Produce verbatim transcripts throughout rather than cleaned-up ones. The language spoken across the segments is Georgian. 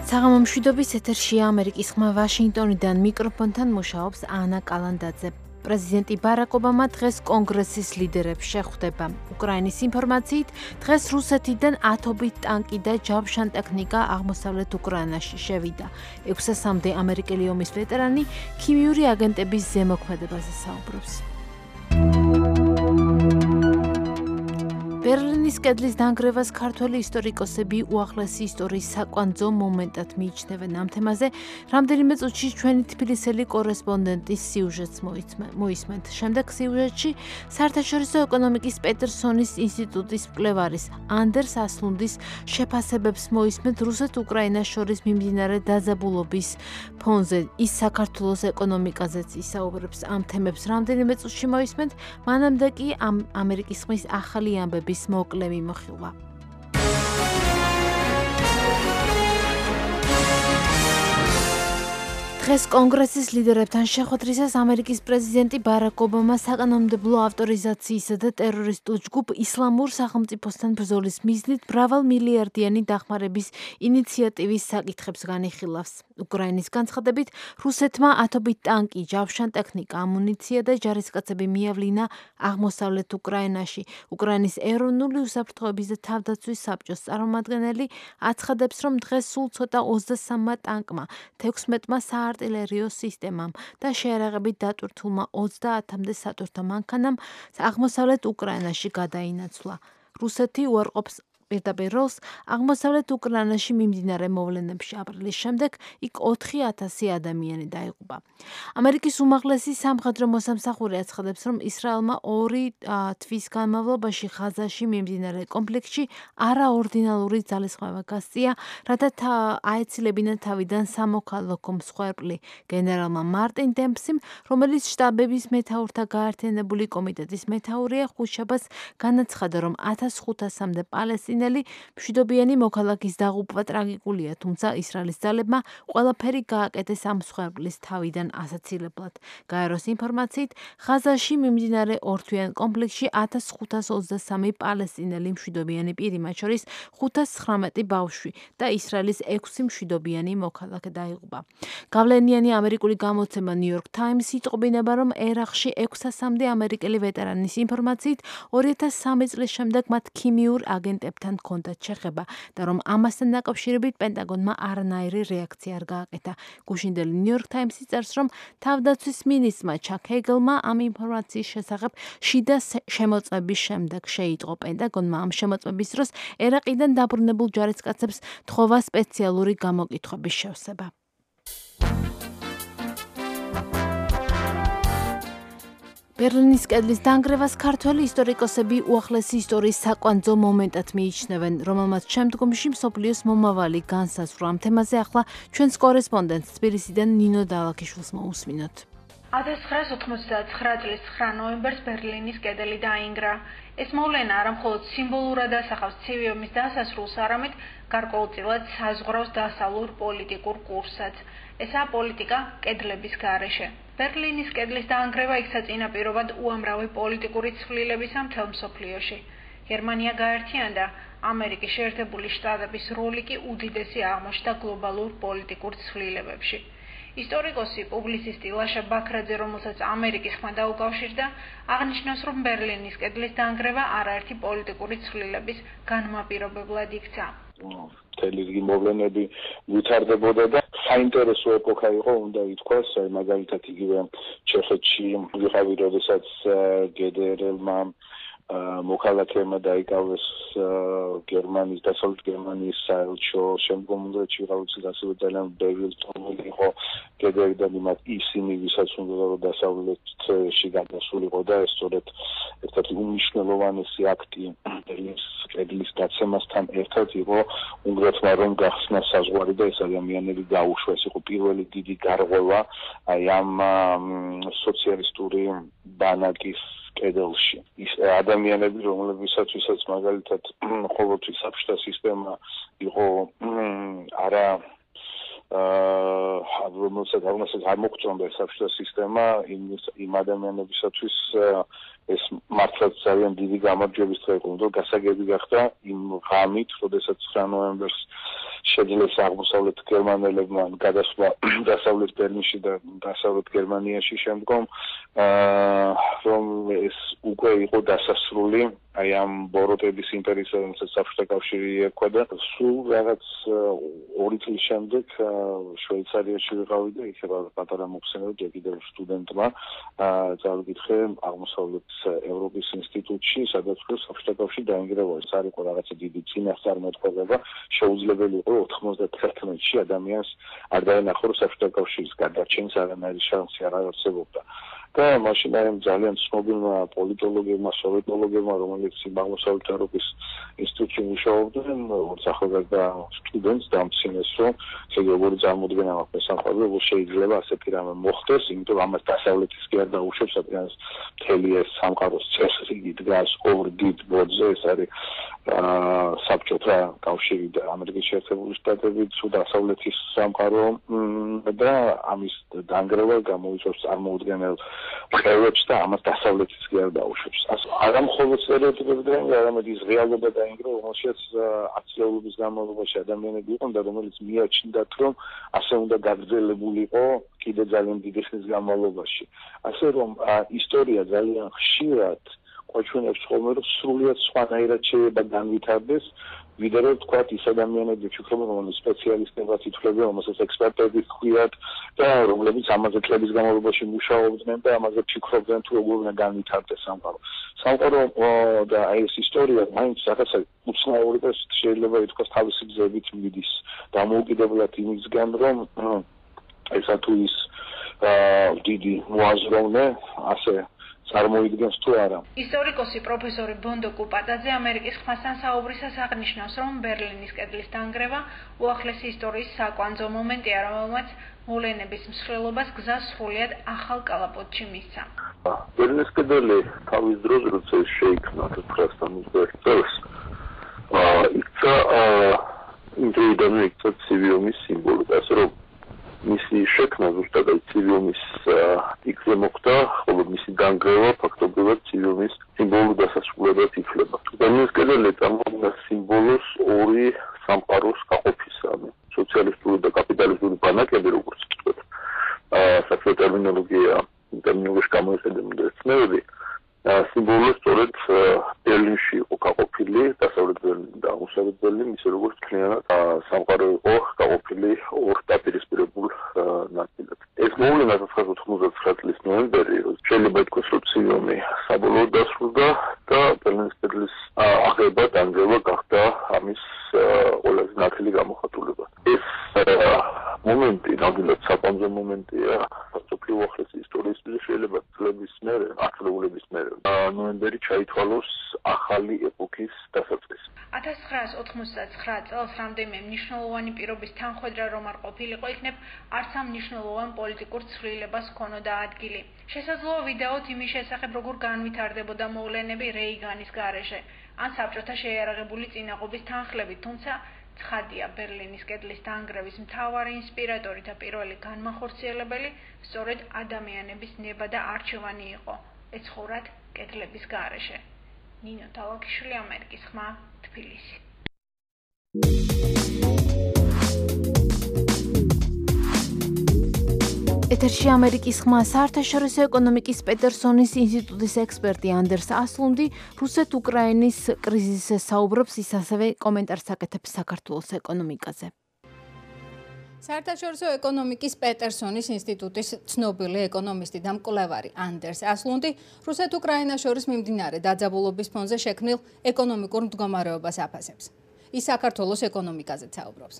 საღამო მშვიდობის ეთერშია ამერიკის ხმა ვაშინგტონიდან მიკროფონთან მუშაობს ანა კალანდაძე. პრეზიდენტი ბარაკ ობამა დღეს კონგრესის ლიდერებს შეხვდება. უკრაინის ინფორმაციით, დღეს რუსეთიდან ათობით ტანკი და ჯავშან ტექნიკა აღმოსავლეთ უკრაინაში შევიდა. ექვსასამდე ამერიკელი ომის ვეტერანი ქიმიური აგენტების ზემოქმედებაზე საუბრობს. ბერლინის კედლის დანგრევას ქართველი ისტორიკოსები უახლესი ისტორიის საკვანძო მომენტად მიიჩნევენ. ამ თემაზე რამდენიმე წუთში ჩვენი თბილისელი კორესპონდენტის სიუჟეტს მოისმენთ. შემდეგ სიუჟეტში საერთაშორისო ეკონომიკის პეტერსონის ინსტიტუტის მკვლევარის ანდერს ასლუნდის შეფასებებს მოისმენთ რუსეთ-უკრაინას შორის მიმდინარე დაძაბულობის ფონზე. ის საქართველოს ეკონომიკაზეც ისაუბრებს. ამ თემებს რამდენიმე წუთში მოისმენთ. მანამდე კი ამ ამერიკის ხმის ახალი ამბები მოკლე მიმოხილვა. დღეს კონგრესის ლიდერებთან შეხვედრისას ამერიკის პრეზიდენტი ბარაკ ობამა საკანონმდებლო ავტორიზაციისა და ტერორისტულ ჯგუფ ისლამურ სახელმწიფოსთან ბრძოლის მიზნით მრავალმილიარდიანი დახმარების ინიციატივის საკითხებს განიხილავს. უკრაინის განცხადებით, რუსეთმა ათობით ტანკი, ჯავშან ტექნიკა, ამუნიცია და ჯარისკაცები მიავლინა აღმოსავლეთ უკრაინაში. უკრაინის ეროვნული უსაფრთხოების და თავდაცვის საბჭოს წარმომადგენელი აცხადებს, რომ დღეს სულ ცოტა ოცდასამმა ტანკმა, თექვსმეტმა საარტილერიო სისტემამ და შეერაღებით დატვირთულმა ოცდაათამდე სატვირთო მანქანამ აღმოსავლეთ უკრაინაში გადაინაცვლა. რუსეთი უარყოფს პირდაპირ როლს აღმოსავლეთ უკრაინაში მიმდინარე მოვლენებში. აპრილის შემდეგ იქ ოთხი ათასი ადამიანი დაიღუპა. ამერიკის უმაღლესი სამხედრო მოსამსახური აცხადებს, რომ ისრაელმა ორი თვის განმავლობაში ღაზაში მიმდინარე კონფლიქტში არაორდინალური ძალისხმევა გასწია, რათა აეცილებინა თავიდან სამოქალაქო მსხვერპლი. გენერალმა მარტინ დემპსიმ, რომელიც შტაბების მეთაურთა გაერთიანებული კომიტეტის მეთაურია, ხუთშაბათს განაცხადა, რომ ათას ხუთასამდე პალესტინელი მშვიდობიანი მოქალაქის დაღუპვა ტრაგიკულია, თუმცა ისრაელის ძალებმა ყველაფერი გააკეთეს ამ მსხვერპლის თავიდან ასაცილებლად. გაეროს ინფორმაციით, ღაზაში მიმდინარე ორთვიან კონფლიქტში ათას ხუთას ოცდასამი პალესტინელი მშვიდობიანი პირი, მათ შორის ხუთას ცხრამეტი ბავშვი და ისრაელის ექვსი მშვიდობიანი მოქალაქე დაიღუპა. გავლენიანი ამერიკული გამოცემა New York Times იტყობინება, რომ ერაყში ექვსასამდე ამერიკელი ვეტერანის ინფორმაციით, ორი ათას სამი წლის შემდეგ მათ ქიმიურ აგენტებთან ჰქონდათ შეხება და რომ ამასთან დაკავშირებით პენტაგონმა არანაირი რეაქცია არ გააკეთა. გუშინდელი New York Times-ი წერს, რომ თავდაცვის მინისტრმა ჩაკ ჰეგელმა ამ ინფორმაციის შესახებ შიდა შემოწმების შემდეგ შეიტყო. პენტაგონმა ამ შემოწმების დროს ერაყიდან დაბრუნებულ ჯარისკაცებს თხოვა სპეციალური გამოკითხვების შევსება. ბერლინის კედლის დანგრევას ქართველი ისტორიკოსები უახლესი ისტორიის საკვანძო მომენტად მიიჩნევენ, რომელმაც შემდგომში მსოფლიოს მომავალი განსაზღვრა. ამ თემაზე ახლა ჩვენს კორესპონდენტს თბილისიდან ნინო დალაქიშვილს მოусმინოთ. ათას ცხრაას ოცდაათმეტ წლის ცხრა ნოემბერს ბერლინის კედელი დაინგრა. ეს მოვლენა არა მხოლოდ სიმბოლურად ასახავს ცივი ომის დასასრულს, არამედ გარკვეულწილად საზღვრავს დასავლურ პოლიტიკურ კურსსაც. ესაა პოლიტიკა კედლების გარეშე. ბერლინის კედლის დაანგრევა იქცა წინაპირობად უამრავი პოლიტიკური ცვლილებისა მთელ მსოფლიოში. გერმანია გაერთიანდა, ამერიკის შეერთებული შტატების როლი კი უდიდესი აღმოჩნდა გლობალურ პოლიტიკურ ცვლილებებში. ისტორიკოსი პუბლიცისტი ლაშა ბაქრაძე, რომელსაც ამერიკის ხმა დაუკავშირდა, აღნიშნავს, რომ ბერლინის კედლის დაანგრევა არაერთი პოლიტიკური ცვლილების განმაპირობებლად იქცა. მთელი რიგი მოვლენები ვითარდებოდა და საინტერესო ეპოქა იყო, უნდა ითქვას, მაგალითად იგივე ჩეხეთში ვიყავი, როდესაც გედერელმა მოქალაქეებმა დაიკავეს გერმანიის, დასავლეთ გერმანიის საელჩო, შემდგომ უნგრეთში ვიყავი, ასევე ძალიან ბევრი ტომილი იყო გედერიდან იმათ ისინი, ვისაც უნდა რომ დასავლეთში გადასულიყო და ეს სწორედ ერთ-ერთი უმნიშვნელოვანესი აქტი ბერლინის კედლის დაცემასთან ერთად იყო უნგრეთმა რომ გახსნა საზღვარი და ეს ადამიანები გაუშვა. ეს იყო პირველი დიდი გარღვევა აი ამ სოციალისტური ბანაკის კედელში. ის ადამიანები, რომლებისაცვისაც მაგალითად ყოველთვის საბჭოთა სისტემა იყო არა აა რომელსაც რომელსაც არ მოგწონდა საბჭოთა სისტემა იმ იმ ადამიანებისათვის ეს მართლაც ძალიან დიდი გამარჯვების დღე იყო, რომ გასაგები გახდა იმ ღამით, როდესაც ცხრა ნოემბერს შეძლეს აღმოსავლეთ გერმანელებმა გადასვლა დასავლეთ ბერლინში და დასავლეთ გერმანიაში შემდგომ, რომ ეს უკვე იყო დასასრული აი ამ ბოროტების იმპერიის, რომელსაც საბჭოთა კავშირი ერქვა და სულ რაღაც ორი წლის შემდეგ შვეიცარიაში ვიყავი და იქ პატარა მოხსენება ჯერ კიდევ სტუდენტმა წავიკითხე აღმოსავლეთ ევროპის ინსტიტუტში, სადაც საბჭოთა კავშირი დაინგრევა. ეს არ იყო რაღაცა დიდი წინასწარმეტყველება, შეუძლებელი იყო ოთხმოცდათერთმეტში ადამიანს არ დაენახო, რომ საბჭოთა კავშირის გადარჩენის არანაირი შანსი არ არსებობდა. და მაშინ აი ძალიან ცნობილმა პოლიტოლოგებმა, სოციოლოგებმა, რომელიც აღმოსავლეთ ევროპის ინსტიტუტში მუშაობდნენ, ახალგაზრდა სტუდენტს დამცინეს, რომ როგორი წარმოდგენა მაქვს სამყარო, როგორ შეიძლება ასეთი რამე მოხდეს, იმიტომ ამას დასავლეთის კი არ დაუშვებს, რადგან მთელი ეს სამყაროს წესრიგი დგას ორ დიდ ბოძზე, ეს არის საბჭოთა კავშირი და ამერიკის შეერთებული შტატები, თუ დასავლეთის სამყარო და ამის დანგრევა გამოიწვევს წარმოუდგენელ ხევებს და ამას დასავლეთის კი არ დაუშვებს. არა მხოლოდ სტერეოტიპები დაინგრა, არამედ ის რეალობა დაინგრა, რომელშიც ათწლეულობის განმავლობაში ადამიანები იყვნენ და რომელიც მიაჩნდათ, რომ ასე უნდა გაგრძელებულიყო კიდე ძალიან დიდი ხნის განმავლობაში. ასე რომ ისტორია ძალიან ხშირად გვაჩვენებს ხოლმე, რომ სრულიად სხვანაირად შეიძლება განვითარდეს, ვიდრე რომ თქვათ ის ადამიანები ფიქრობენ, რომ სპეციალისტებად ითვლებიან, რომელსაც ექსპერტები ჰქვიათ და რომლებიც ამაზე წლების განმავლობაში მუშაობდნენ და ამაზე ფიქრობდნენ, თუ როგორ უნდა განვითარდეს სამყარო. სამყარო და აი ეს ისტორია მაინც რაღაცა უცნაური და შეიძლება ითქვას თავისი გზებით მიდის დამოუკიდებლად იმისგან, რომ ესა თუ ის დიდი მოაზროვნე ასე წარმოიდგენს თუ არა. ისტორიკოსი პროფესორი ბონდო კუპატაძე ამერიკის ხმასთან საუბრისას აღნიშნავს, რომ ბერლინის კედლის დანგრევა უახლესი ისტორიის საკვანძო მომენტია, რომელმაც მოვლენების მსვლელობას გზა სრულიად ახალ კალაპოტში მისცა. ბერლინის კედელი თავის დროს, როცა შეიქმნა ცხრა ოცდაათი წელს, იქცა იმდროიდანვე იქცა ცივიუმის სიმბოლოდ, ასე რომ მისი შექმნა ზუსტად ცივიუმის იქზე მოხდა, ხოლო მისი დანგრევა ფაქტობრივად ცივიუმის სიმბოლურ დასასრულებლად ითვლება. ბერლინის კედელი წარმოადგენს სიმბოლოს ორი სამყაროს გაყოფისა, სოციალისტური და კაპიტალისტური ბანაკები, როგორც ვთქვათ, საერთო ტერმინოლოგია, ტერმინოლოგიაში გამოიყენება ეცნებები, სიმბოლო სწორედ ბერლინში იყო გაყოფილი, დასავლეთ ბერლინი და აღმოსავლეთ ბერლინი, ისე როგორც მთლიანად სამყარო იყო გაყოფილი ორ დაპირისპირებულ ნაწილად. ეს მოვლენა ცხრა ოცდაათი წლის ნოემბერი, შეიძლება ითქვას, რომ ცივიუმი საბოლოოდ დასრულდა და ბერლინის კედლის აღება, დანგრევა გახდა ამის ყველაზე ნათელი გამოხატულება. ეს მომენტი, ნამდვილად საკვანძო მომენტია მსოფლიო უახლესი ისტორიის შეიძლება წლების მერე, ათწლეულების მერე, ნოემბერი ჩაითვალოს ახალი ეპოქის დასაწყისი. ათას ცხრაას ოთხმოცდაცხრა წელს რამდენიმე მნიშვნელოვანი პირობის თანხმედრა რომ არ ყოფილიყო, იქნებ არც ამ მნიშვნელოვან პოლიტიკურ ცვლილებას ჰქონოდა ადგილი. შესაძლოა ვიდეოთ იმის შესახებ, როგორ განვითარდებოდა მოვლენები რეიგანის გარეშე, ან საბჭოთა შეიარაღებული წინაღობის თანხლებით, თუმცა ცხადია, ბერლინის კედლის დანგრევის მთავარი ინსპირატორი და პირველი განმახორციელებელი სწორედ ადამიანების ნება და არჩევანი იყო, ეცხოვრათ კედლების გარეშე. ნინო თავაკიშვილი, ამერიკის ხმა, თბილისი. ეთერში ამერიკის ხმა, საერთაშორისო ეკონომიკის პეტერსონის ინსტიტუტის ექსპერტი ანდერს ასლუნდი რუსეთ-უკრაინის კრიზისზე საუბრობს, ის ასევე კომენტარს აკეთებს საქართველოს ეკონომიკაზე. საერთაშორისო ეკონომიკის პეტერსონის ინსტიტუტის ცნობილი ეკონომისტი და მკვლევარი ანდერს ასლუნდი რუსეთ-უკრაინას შორის მიმდინარე დაძაბულობის ფონზე შექმნილ ეკონომიკურ მდგომარეობას აფასებს. ის საქართველოს ეკონომიკაზე საუბრობს.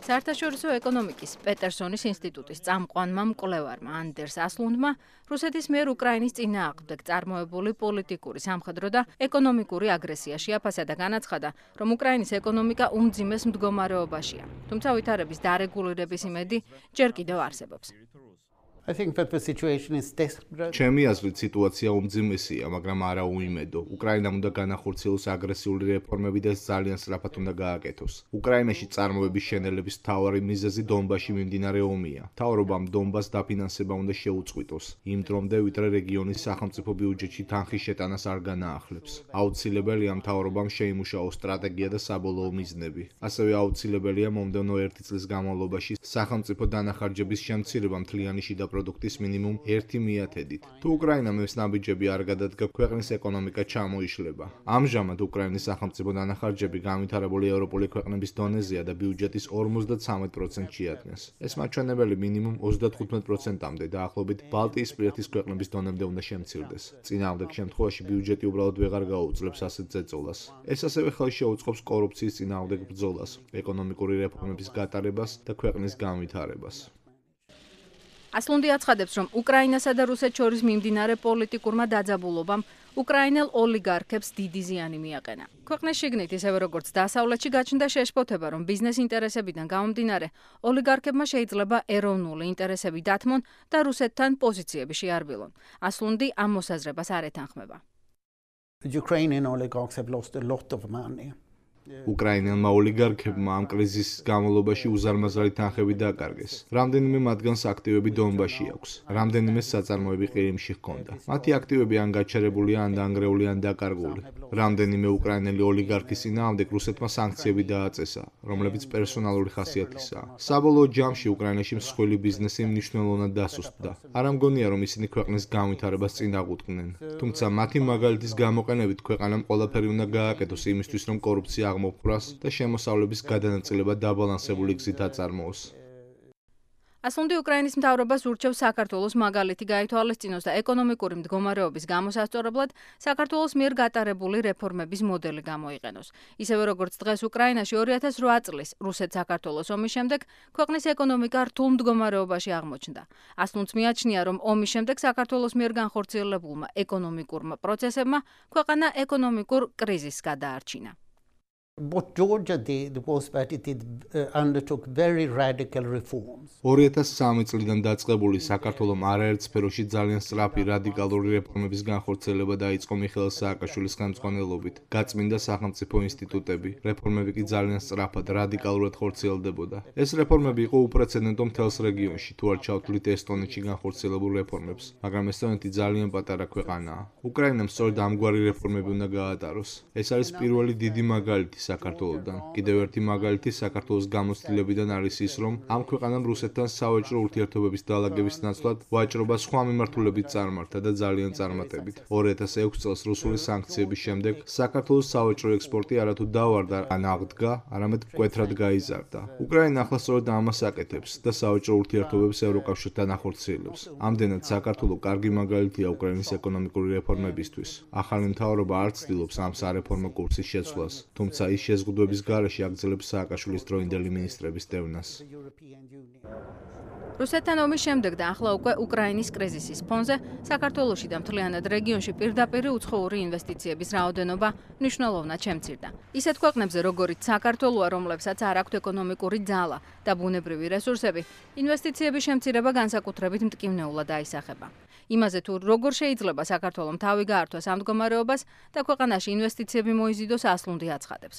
საერთაშორისო ეკონომიკის პეტერსონის ინსტიტუტის წამყვანმა მკვლევარმა ანდერს ასლუნდმა რუსეთის მიერ უკრაინის წინააღმდეგ წარმოებული პოლიტიკური, სამხედრო და ეკონომიკური აგრესია შეაფასა და განაცხადა, რომ უკრაინის ეკონომიკა უმძიმეს მდგომარეობაშია, თუმცა ვითარების დარეგულირების იმედი ჯერ კიდევ არსებობს. I think that the situation is desperate. ჩემი აზრით სიტუაცია უმძიმესია, მაგრამ არა უიმედო. უკრაინამ უნდა განახორციელოს აგრესიული რეფორმები და ძალიან სწრაფად უნდა გააკეთოს. უკრაინაში წარმოების შენელების მთავარი მიზეზი დონბასში მიმდინარე ომია. მთავრობამ დონბასს დაფინანსება უნდა შეუწყვიტოს, იმ დრომდე ვიდრე რეგიონის სახელმწიფო ბიუჯეტში თანხის შეტანას არ განაახლებს. აუცილებელია მთავრობამ შეიმუშაოს სტრატეგია და საბოლოო მიზნები. ასევე აუცილებელია მომდევნო ერთი წლის განმავლობაში სახელმწიფო დანახარჯების შემცირება მთლიანი შიდა პროდუქტის მინიმუმ ერთი მიათედით. თუ უკრაინამ ეს ნაბიჯები არ გადადგა, ქვეყნის ეკონომიკა ჩამოიშლება. ამჟამად უკრაინის სახელმწიფო დანახარჯები განვითარებული ევროპული ქვეყნების დონეზეა და ბიუჯეტის ორმოცდათვრამეტ პროცენტს შეადგენს. ეს მაჩვენებელი მინიმუმ ოცდათხუთმეტ პროცენტამდე დაახლოებით ბალტიისპირეთის ქვეყნების დონემდე უნდა შემცირდეს. წინააღმდეგ შემთხვევაში ბიუჯეტი უბრალოდ ვეღარ გაუძლებს ასეთ ზეწოლას. ეს ასევე ხელს შეუწყობს კორუფციის წინააღმდეგ ბრძოლას, ეკონომიკური რეფორმების გატარებას და ქვეყნის განვითარებას. ასლუნდი აცხადებს, რომ უკრაინასა და რუსეთს შორის მიმდინარე პოლიტიკურმა დაძაბულობამ უკრაინელ ოლიგარქებს დიდი ზიანი მიაყენა. ქვეყნის შიგნით, ისევე როგორც დასავლეთში გაჩნდა შეშფოთება, რომ ბიზნეს ინტერესებიდან გამომდინარე ოლიგარქებმა შეიძლება ეროვნული ინტერესები დათმონ და რუსეთთან პოზიციები შეარბილონ. ასლუნდი ამ მოსაზრებას არ ეთანხმება. Ukrainian oligarchs have lost a lot of money. უკრაინელმა ოლიგარქებმა ამ კრიზისის განმავლობაში უზარმაზარი თანხები დაკარგეს. რამდენიმე მათგანს აქტივები დონბასში აქვს. რამდენიმე საწარმოები ყირიმში ჰქონდა. მათი აქტივები ან გაჩერებულია, ან დაანგრეული, ან დაკარგული. რამდენიმე უკრაინელი ოლიგარქის წინააღმდეგ რუსეთმა სანქციები დააწესა, რომლებიც პერსონალური ხასიათისაა. საბოლოო ჯამში უკრაინაში მსხვილი ბიზნესი მნიშვნელოვნად დასუსტდა. არ ამგონია, რომ ისინი ქვეყნის განვითარებას წინ აღუდგნენ. თუმცა მათი მაგალითის გამოყენებით ქვეყანამ ყველაფერი უნდა გააკეთოს იმისთვის, რომ კორუფცია აღმოფხვრას და შემოსავლების გადანაწილება დაბალანსებული გზით აწარმოოს. ასლუნდი უკრაინის მთავრობას ურჩევს საქართველოს მაგალითი გაითვალისწინოს და ეკონომიკური მდგომარეობის გამოსასწორებლად საქართველოს მიერ გატარებული რეფორმების მოდელი გამოიყენოს. ისევე როგორც დღეს უკრაინაში ორი ათას რვა წლის რუსეთ-საქართველოს ომის შემდეგ ქვეყნის ეკონომიკა რთულ მდგომარეობაში აღმოჩნდა. ასლუნდს მიაჩნია, რომ ომის შემდეგ საქართველოს მიერ განხორციელებულმა ეკონომიკურმა პროცესებმა ქვეყანა ეკონომიკურ კრიზისს გადაარჩინა. What Georgia did was that it did, uh, undertook very radical reforms. ორი ათას სამი წლიდან დაწყებული საქართველოს არაერთ სფეროში ძალიან სწრაფი რადიკალური რეფორმების განხორციელება დაიწყო მიხეილ სააკაშვილის ხელმძღვანელობით. გაწმინდა სახელმწიფო ინსტიტუტები, რეფორმები კი ძალიან სწრაფად, რადიკალურად ხორციელდებოდა. ეს რეფორმები იყო უპრეცედენტო მთელს რეგიონში, თუ არ ჩავთვლით ესტონეთში განხორციელებულ რეფორმებს, მაგრამ ესტონეთი ძალიან პატარა ქვეყანაა. უკრაინამ სწორედ ამგვარი რეფორმები უნდა გაატაროს. ეს არის პირველი დიდი მაგალითი საქართველოსთან. კიდევ ერთი მაგალითი საქართველოს გამოცდილებიდან არის ის, რომ ამ ქვეყანამ რუსეთთან სავაჭრო ურთიერთობების დაალაგების ნაცვლად ვაჭრობა სხვა მიმართულებით წარმართა და ძალიან წარმატებით. ორი ათას ექვსი წელს რუსული სანქციების შემდეგ საქართველოს სავაჭრო ექსპორტი არათუ დავარდა ან აღდგა, არამედ მკვეთრად გაიზარდა. უკრაინა ახლა სწორედ ამას აკეთებს და სავაჭრო ურთიერთობებს ევროკავშირთან ახორციელებს. ამდენად საქართველოს კარგი მაგალითია უკრაინის ეკონომიკური რეფორმებისთვის. ახალი მთავრობა არ ცდილობს ამ სარეფორმო კურსის შეცვლას, თუმცა ის შეზღუდვების გარეშე აგრძელებს სააკაშვილის დროინდელი მინისტრების დევნას. რუსეთთან ომის შემდეგ და ახლა უკვე უკრაინის კრიზისის ფონზე საქართველოში და მთლიანად რეგიონში პირდაპირ უცხოური ინვესტიციების რაოდენობა მნიშვნელოვნად შემცირდა. ისეთ ქვეყნებზე, როგორიც საქართველოა, რომლებსაც არ აქვთ ეკონომიკური ძალა და ბუნებრივი რესურსები, ინვესტიციების შემცირება განსაკუთრებით მტკივნეულად აისახება. იმაზე თუ როგორ შეიძლება საქართველოს თავი გაართვას ამ მდგომარეობას და ქვეყანაში ინვესტიციები მოიზიდოს, ასლუნდი აცხადებს.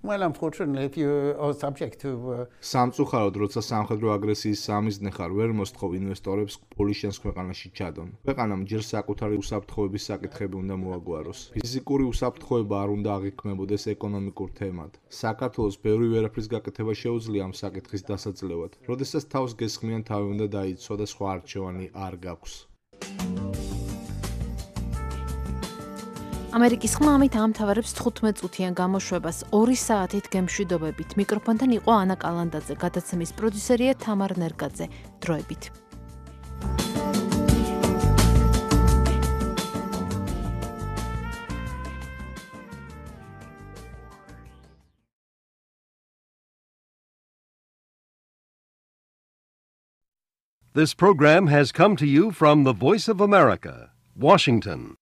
Well, unfortunately, if you are subject to uh... სამწუხაროდ, როცა სამხედრო აგრესიის სამიზნე ხარ, ვერ მოსთხოვ ინვესტორებს პოლიშენს ქვეყანაში ჩადონ. ქვეყანამ ჯერ საკუთარი უსაფრთხოების საკითხები უნდა მოაგვაროს. ფიზიკური უსაფრთხოება არ უნდა აღიქმებოდეს ეკონომიკურ თემად. საქართველოს ბევრი ვერაფრის გაკეთება შეუძლია ამ საკითხის დასაძლევად. როდესაც თავს გესხმიან, თავი უნდა დაიცვა და სხვა არჩევანი არ გაქვს. ამერიკის ხმა ამით ამთავრებს თხუთმეტ წუთიან გამოშვებას ორი საათით გემშვიდობებით. მიკროფონთან იყო ანა კალანდაძე, გადაცემის პროდიუსერია თამარ ნერგაძე. დროებით. This program has come to you from the Voice of America, Washington.